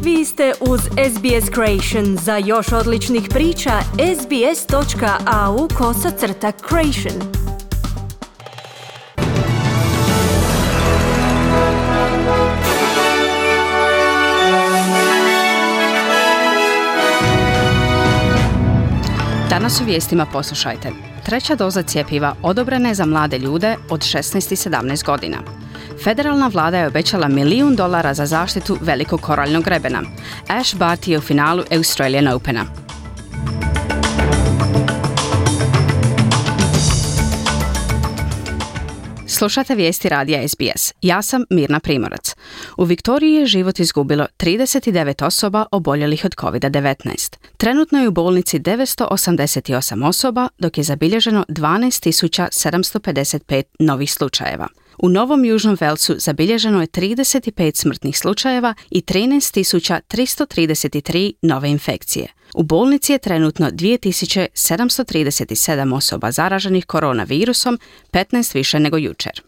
Vi ste uz SBS Creation. Za još odličnih priča, sbs.au/creation. Danas u vijestima poslušajte. 3. doza cjepiva odobrena je za mlade ljude od 16 i 17 godina. Federalna vlada je obećala $1 milijun za zaštitu velikog koraljnog grebena. Ash Barty je u finalu Australian Opena. Slušate vijesti radija SBS. Ja sam Mirna Primorac. U Viktoriji je život izgubilo 39 osoba oboljelih od COVID-19. Trenutno je u bolnici 988 osoba, dok je zabilježeno 12.755 novih slučajeva. U Novom Južnom Velsu zabilježeno je 35 smrtnih slučajeva i 13.333 nove infekcije. U bolnici je trenutno 2.737 osoba zaraženih koronavirusom, 15 više nego jučer.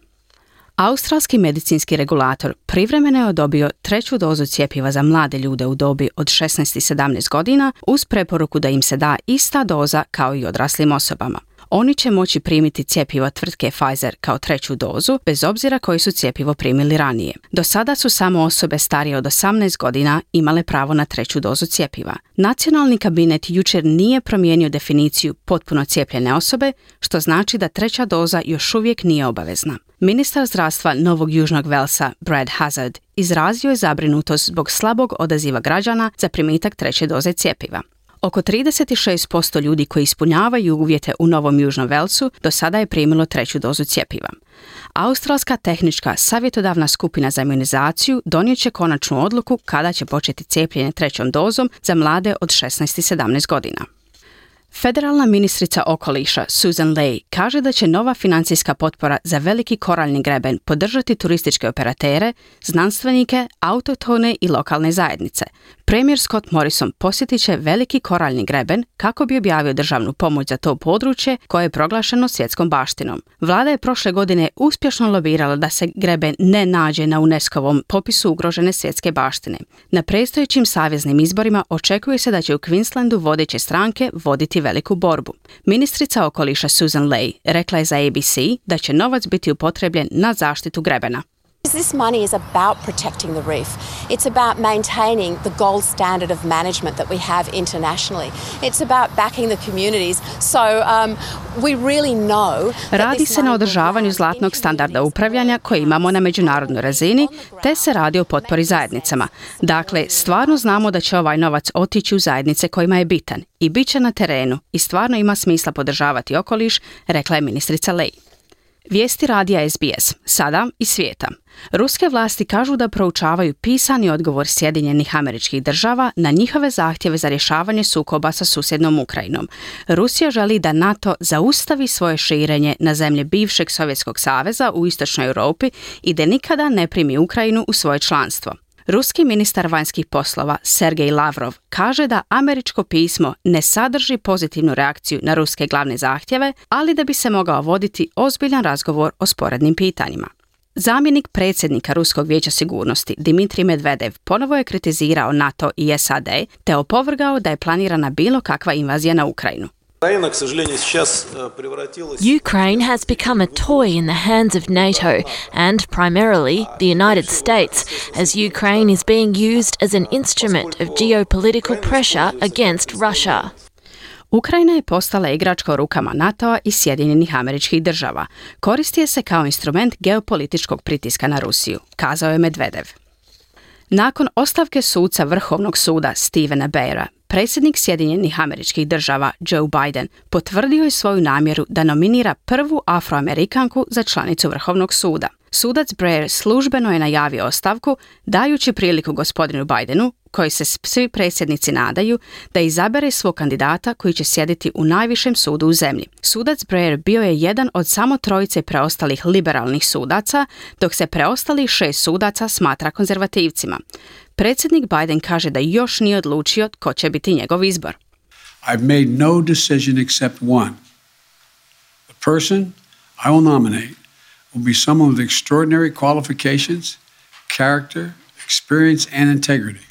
Australski medicinski regulator privremeno je odobrio 3. dozu cjepiva za mlade ljude u dobi od 16 i 17 godina uz preporuku da im se da ista doza kao i odraslim osobama. Oni će moći primiti cjepivo tvrtke Pfizer kao 3. dozu, bez obzira koji su cjepivo primili ranije. Do sada su samo osobe starije od 18 godina imale pravo na 3. dozu cjepiva. Nacionalni kabinet jučer nije promijenio definiciju potpuno cijepljene osobe, što znači da 3. doza još uvijek nije obavezna. Ministar zdravstva Novog Južnog Velsa, Brad Hazzard, izrazio je zabrinutost zbog slabog odaziva građana za primitak 3. doze cjepiva. Oko 36% ljudi koji ispunjavaju uvjete u Novom Južnom Velsu do sada je primilo 3. dozu cjepiva. Australska tehnička savjetodavna skupina za imunizaciju donijet će konačnu odluku kada će početi cijepljenje 3. dozom za mlade od 16 i 17 godina. Federalna ministrica okoliša Susan Ley kaže da će nova financijska potpora za veliki koraljni greben podržati turističke operatere, znanstvenike, autohtone i lokalne zajednice. Premijer Scott Morrison posjetit će veliki koraljni greben kako bi objavio državnu pomoć za to područje koje je proglašeno svjetskom baštinom. Vlada je prošle godine uspješno lobirala da se greben ne nađe na UNESCO-vom popisu ugrožene svjetske baštine. Na predstojećim saveznim izborima očekuje se da će u Queenslandu vodeće stranke voditi veliku borbu. Ministrica okoliša Susan Ley rekla je za ABC da će novac biti upotrebljen na zaštitu grebena. This money is about protecting the reef. It's about maintaining the gold standard of management that we have internationally. It's about backing the communities. So we really know. Radi se na održavanju zlatnog standarda upravljanja koji imamo na međunarodnoj razini, te se radi o potpori zajednicama. Dakle, stvarno znamo da će ovaj novac otići u zajednice kojima je bitan i bit će na terenu i stvarno ima smisla podržavati okoliš, rekla je ministrica Ley. Vijesti radija SBS, sada iz svijeta. Ruske vlasti kažu da proučavaju pisani odgovor Sjedinjenih Američkih Država na njihove zahtjeve za rješavanje sukoba sa susjednom Ukrajinom. Rusija želi da NATO zaustavi svoje širenje na zemlje bivšeg Sovjetskog saveza u istočnoj Europi i da nikada ne primi Ukrajinu u svoje članstvo. Ruski ministar vanjskih poslova Sergej Lavrov kaže da američko pismo ne sadrži pozitivnu reakciju na ruske glavne zahtjeve, ali da bi se mogao voditi ozbiljan razgovor o sporednim pitanjima. Zamjenik predsjednika Ruskog vijeća sigurnosti Dmitrij Medvedev ponovo je kritizirao NATO i SAD te opovrgao da je planirana bilo kakva invazija na Ukrajinu. Ukraine has become a toy in the hands of NATO and primarily the United States, as Ukraine is being used as an instrument of geopolitical pressure against Russia. Ukrajina je postala igračka u rukama NATO-a i Sjedinjenih Američkih Država. Koristi je se kao instrument geopolitičkog pritiska na Rusiju, kazao je Medvedev. Nakon ostavke suca Vrhovnog suda Stephena Breyera, predsjednik Sjedinjenih Američkih Država Joe Biden potvrdio je svoju namjeru da nominira prvu Afroamerikanku za članicu Vrhovnog suda. Sudac Breyer službeno je najavio ostavku, dajući priliku gospodinu Bidenu, koji se svi predsjednici nadaju, da izabere svog kandidata koji će sjediti u najvišem sudu u zemlji. Sudac Breyer bio je jedan od samo 3 preostalih liberalnih sudaca, dok se preostalih 6 sudaca smatra konzervativcima. Predsjednik Biden kaže da još nije odlučio tko će biti njegov izbor. I've made no decision except one. The person I will nominate will be someone with extraordinary qualifications, character, experience and integrity.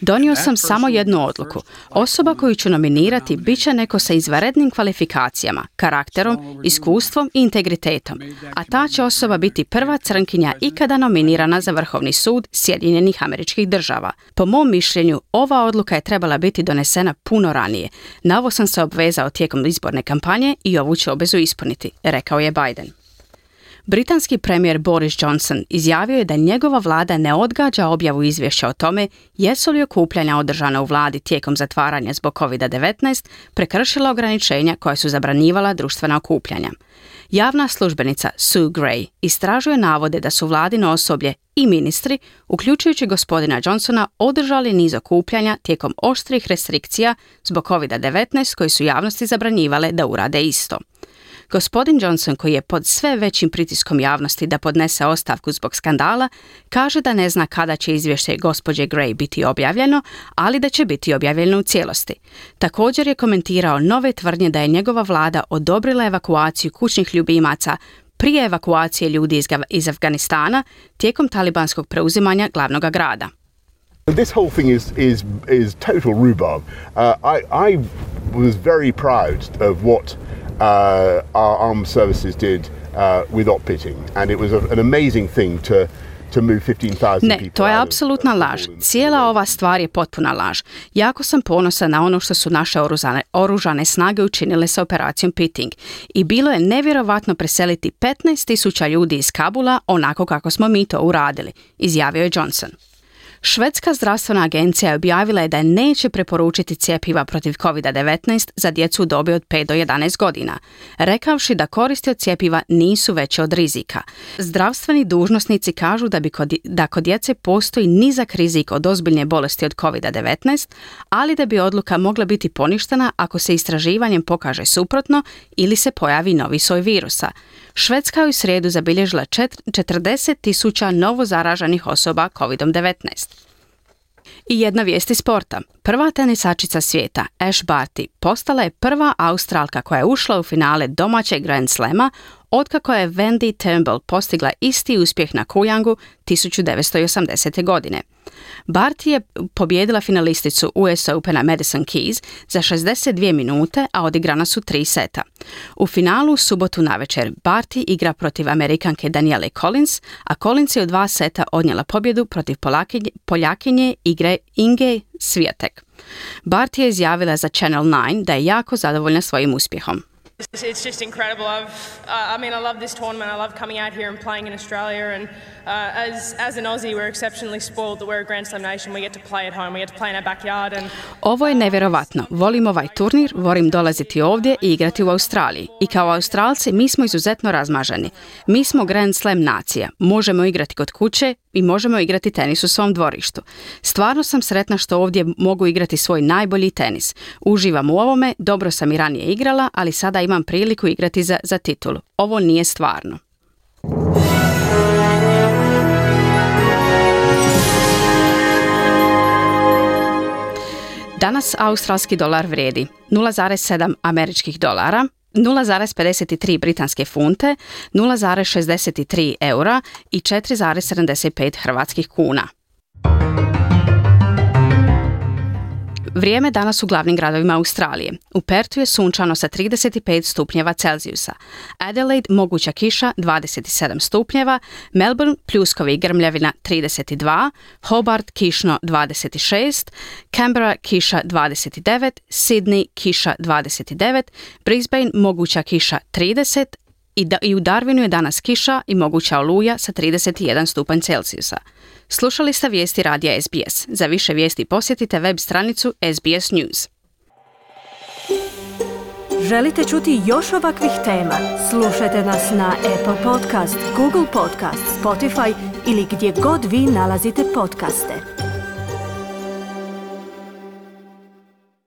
Donio sam samo jednu odluku. Osoba koju ću nominirati bit će neko sa izvanrednim kvalifikacijama, karakterom, iskustvom i integritetom, a ta će osoba biti prva crnkinja ikada nominirana za Vrhovni sud Sjedinjenih Američkih Država. Po mom mišljenju, ova odluka je trebala biti donesena puno ranije. Na ovo sam se obvezao tijekom izborne kampanje i ovu ću obvezu ispuniti, rekao je Biden. Britanski premijer Boris Johnson izjavio je da njegova vlada ne odgađa objavu izvješća o tome jesu li okupljanja održana u vladi tijekom zatvaranja zbog COVID-19 prekršila ograničenja koja su zabranjivala društvena okupljanja. Javna službenica Sue Gray istražuje navode da su vladino osoblje i ministri, uključujući gospodina Johnsona, održali niz okupljanja tijekom oštrih restrikcija zbog COVID-19 koji su javnosti zabranjivale da urade isto. Gospodin Johnson, koji je pod sve većim pritiskom javnosti da podnese ostavku zbog skandala, kaže da ne zna kada će izvješće gospođe Gray biti objavljeno, ali da će biti objavljeno u cijelosti. Također je komentirao nove tvrdnje da je njegova vlada odobrila evakuaciju kućnih ljubimaca prije evakuacije ljudi iz Afganistana tijekom talibanskog preuzimanja glavnog grada. This whole thing is total rhubarb. I was very proud of what our armed services did with op-pitting, and it was an amazing thing to move 15,000 people. Ne, to je apsolutna laž. Cijela ova stvar je potpuna laž. Jako sam ponosan na ono što su naše oružane snage učinile sa operacijom Pitting. I bilo je nevjerovatno preseliti 15,000 ljudi iz Kabula onako kako smo mi to uradili, izjavio je Johnson. Švedska zdravstvena agencija objavila je da neće preporučiti cjepiva protiv COVID-19 za djecu u dobi od 5 do 11 godina, rekavši da koristi od cjepiva nisu veće od rizika. Zdravstveni dužnosnici kažu da kod djece postoji nizak rizik od ozbiljne bolesti od COVID-19, ali da bi odluka mogla biti poništena ako se istraživanjem pokaže suprotno ili se pojavi novi soj virusa. Švedska je u srijedu zabilježila 40,000 novo zaraženih osoba COVID-19. I jedna vijest iz sporta. Prva tenisačica svijeta, Ash Barty, postala je prva Australka koja je ušla u finale domaćeg Grand Slama otkako je Wendy Turnbull postigla isti uspjeh na Kujangu 1980. godine. Barty je pobijedila finalisticu US Opena Madison Keys za 62 minute, a odigrana su 3 seta. U finalu u subotu navečer Barty igra protiv Amerikanke Danielle Collins, a Collins je u 2 seta odnijela pobjedu protiv Poljakinje Inge Swiatek. Barty je izjavila za Channel 9 da je jako zadovoljna svojim uspjehom. It's just incredible. I love this tournament. I love coming out here and playing in Australia. And as an Aussie, we're exceptionally spoiled that we're a Grand Slam nation. We get to play at home. We get to play in our backyard. Ovo je nevjerovatno. Volim ovaj turnir, volim dolaziti ovdje i igrati u Australiji. I kao Australci mi smo izuzetno razmaženi. Mi smo Grand Slam nacija. Možemo igrati kod kuće i možemo igrati tenis u svom dvorištu. Stvarno sam sretna što ovdje mogu igrati svoj najbolji tenis. Uživam u ovome, dobro sam i ranije igrala, ali sada imam priliku igrati za titulu. Ovo nije stvarno. Danas australski dolar vrijedi 0,7 američkih dolara, 0,53 britanske funte, 0,63 eura i 4,75 hrvatskih kuna. Vrijeme danas u glavnim gradovima Australije. U Perthu je sunčano sa 35 stupnjeva Celzijusa. Adelaide moguća kiša 27 stupnjeva, Melbourne pljuskovi i grmljavina 32, Hobart kišno 26, Canberra kiša 29, Sydney kiša 29, Brisbane moguća kiša 30 i u Darwinu je danas kiša i moguća oluja sa 31 stupanj Celzijusa. Slušali ste vijesti radija SBS. Za više vijesti posjetite web stranicu SBS News. Želite čuti još ovakvih tema? Slušajte nas na Apple Podcast, Google Podcast, Spotify ili gdje god vi nalazite podcaste.